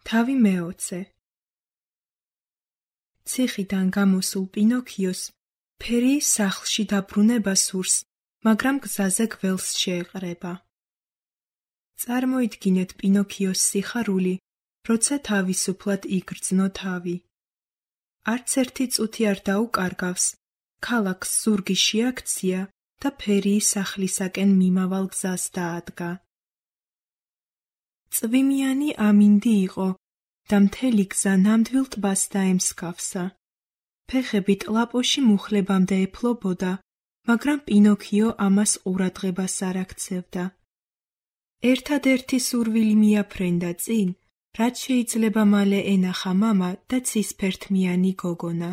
თავი მეოცე. ციხიდან გამოსულ პინოქიოს ფერიის სახლში დაბრუნება სურს, მაგრამ გზაზე გველს შეეყრება. წარმოიდგინეთ პინოქიოს სიხარული, როცა თავისუფლად იგრძნო თავი. არც ერთი წუთი არ დაუკარგავს, ქალაქს ზურგი შეაქცია და ფერიის სახლისაკენ მიმავალ გზას დაადგა. წვიმიანი ამინდი იყო და მთელი გზა ნამდვილ ტბას დაემსგავსა. ფეხები ტლაპოში მუხლებამდე ეფლობოდა, მაგრამ პინოქიო ამას ყურადღებას არ აქცევდა. ერთადერთი სურვილი მიაფრენდა წინ, რაც შეიძლება მალე ენახა მამა და ცისფერთმიანი გოგონა.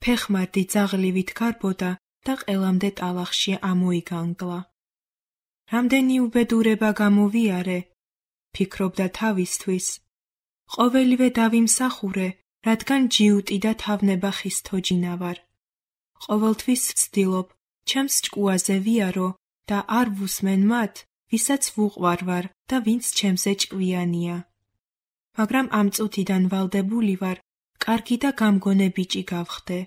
ფეხმარდი ძაღლივით გარბოდა და ყელამდე ტალახში ამოიგანგლა. რამდენი უბედურება გამოვიარე, ფიქრობდა თავისთვის. ყოველივე დავიმსახურე, რადგან ჯიუტი და თავნებახის თოჯინა ვარ. ყოველთვის ვცდილობ, ჩემს ჭკუაზე ვიარო და არ ვუსმენ მათ, ვისაც ვუყვარვარ და ვინც ჩემზე ჭკვიანია. მაგრამ ამ წუთიდან ვალდებული ვარ, კარგი და გამგონე ბიჭი გავხდე.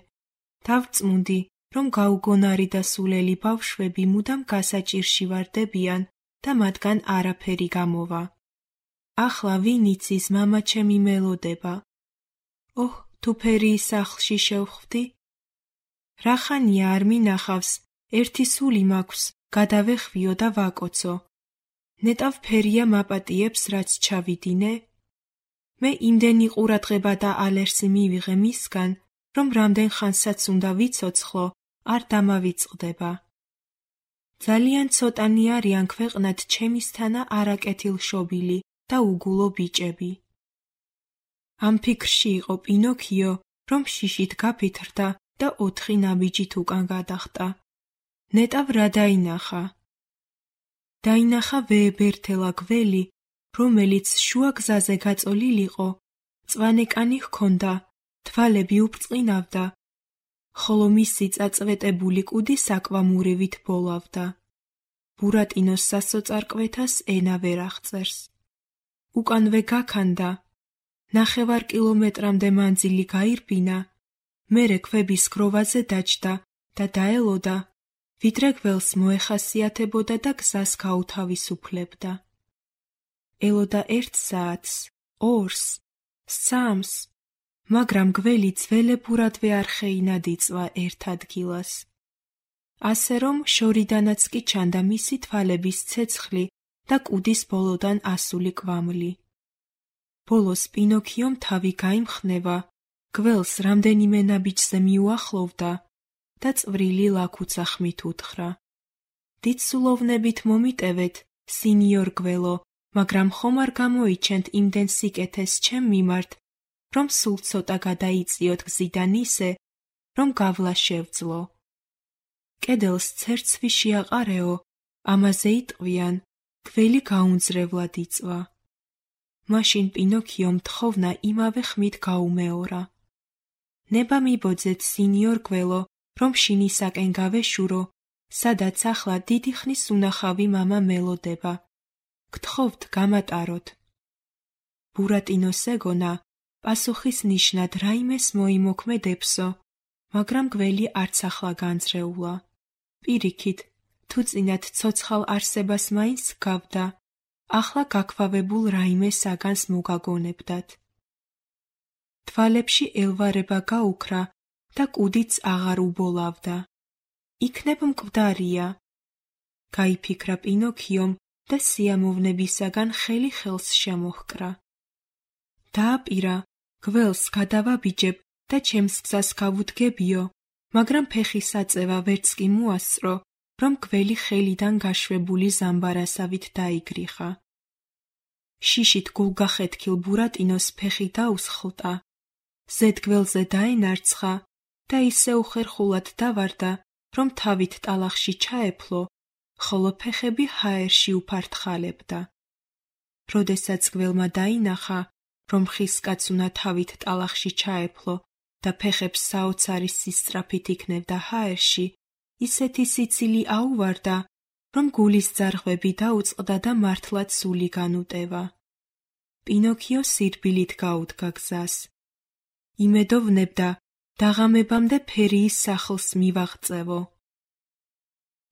დავწმუნდი, რომ გაუგონარი და სულელი ბავშვები მუდამ გასაჭირში ვარდებიან და მათგან არაფერი გამოვა. ახლა ვინ იცის მამა ჩემი მელოდება? ოჰ, თუ ფერიის სახლში შევხვდი? რახანია არ მინახავს, ერთი სული მაქვს, გადავეხვიო და ვაკოცო. ნეტავ ფერია მაპატიებს, რაც ჩავიდინე? მე იმდენი ყურადღება და ალერსი მივიღე მისგან, რომ რამდენ ხანსაც უნდა ვიცოცხლო, არ დამავიწყდება. ძალიან ცოტანი არიან ქვეყნად ჩემისთანა არაკეთილშობილი და უგულო ბიჭები. ამ ფიქრში იყო პინოქიო, რომ შიშით გაფითრდა და 4 ნაბიჯით უკან გადახტა. ნეტავ რა დაინახა? დაინახა ვეებერთელა გველი, რომელიც შუა გზაზე გაწოლილიყო, მწვანე ჰქონდა, თვალები უბწყინავდა, ხოლო მისი წაწვეტებული კუდი საკვამურივით ბოლავდა. ბურატინოს სასოწარკვეთას ენა ვერ აღწერს. უკანვე გაქანდა, 9 კილომეტრამდე მანძილი გაირბინა, მერე ქვების გროვაზე დაჯდა და დაელოდა, ვიდრე გველს მოეხასიათებოდა და გზას გაუთავისუფლებდა. ელოდა 1 საათს, 2-ს, 3-ს, მაგრამ გველი ძველებურადვე არ ხეინადიწვა ერთ ადგილას. ასე რომ შორიდანაც კი ჩანდა მისი თვალების ცეცხლი და კუდის ბოლოდან ასული კვამლი. ბოლოს პინოქიომ თავი გაიმხნევა, გველს რამდენიმე ნაბიჯზე მიუახლოვდა და წვრილი ლაქუცა ხმით უთხრა. დიდსულოვნებით მომიტევეთ, სინიორ გველო, მაგრამ ხომ არ გამოიჩენთ იმდენ სიკეთეს ჩემ მიმართ, რომ სულ ცოტა გადაიწიოთ გზიდან ისე, რომ გავლა შევძლო. კედელს ცერცვი შეაყარეო, ამაზე იტყვიან, გველი გაუნძრევლად იწვა. მაშინ პინოქიომ თხოვნა იმავე ხმით გაუმეორა. ნება მიბოძეთ, სინიორ გველო, რომ შინისაკენ გავეშურო, სადაც ახლა დიდი ხნის უნახავი მამა მელოდება. გთხოვთ გამატაროთ. ბურატინოს ეგონა, პასუხის ნიშნად რაიმეს მოიმოქმედებსო, მაგრამ გველი არც ახლა განძრეულა. პირიქით, თუ წინათ ცოცხალ არსებას მაინც გავდა, ახლა გაქვავებულ რაიმე საგანს მოგაგონებდათ. თვალებში ელვარება გაუქრა და კუდიც აღარ უბოლავდა. იქნებ მკვდარია. გაიფიქრა პინოქიომ და სიამოვნებისაგან ხელი ხელს შემოჰკრა. დააპირა, გველს გადავაბიჯებ და ჩემს გზას გავუდგებიო, მაგრამ ფეხის აწევა ვერც კი მოასწრო, რომ გველი ხელიდან გაშვებული ზამბარასავით დაიგრიხა. შიშით გულგახეთქილ ბურატინოს ფეხი დაუსხლტა, ზედგველზე დაენარცხა და ისე უხერხულად დავარდა, რომ თავით ტალახში ჩაეფლო, ხოლო ფეხები ჰაერში უფართხალებდა. როდესაც გველმა დაინახა, რომ ხისკაც უნდა თავით ტალახში ჩაეფლო და ფეხებს საოცარი სისწრაფით იქნევდა ჰაერში, ისეთი სიცილი აუვარდა, რომ გულის ძარღვები დაუწყდა და მართლაც სული განუტევა. პინოქიო სირბილით გაუდგა გზას. იმედოვნებდა, დაღამებამდე ფერიის სახლს მივაღწევო.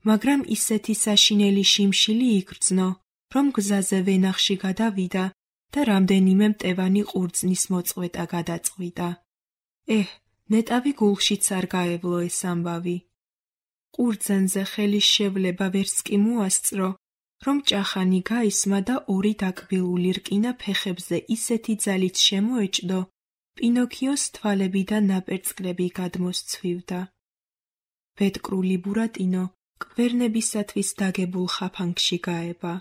მაგრამ ისეთი საშინელი შიმშილი იგრძნო, რომ გზაზე ვენახში გადავიდა და რამდენიმე მტევანი ყურძნის მოწყვეტა გადაწყვიტა. ნეტავი გულშიც არ გაევლო ეს ამბავი. ყურძენზე ხელის შევლება ვერც კი მოასწრო, რომ ჭახანი გაისმა და ორი დაკბილული რკინა ფეხებზე ისეთი ძალით შემოეჭდო, პინოქიოს თვალებიდან ნაპერწკლები გადმოსცვივდა. ბედკრული ბურატინო კვერნებისათვის დაგებულ ხაფანგში გაება.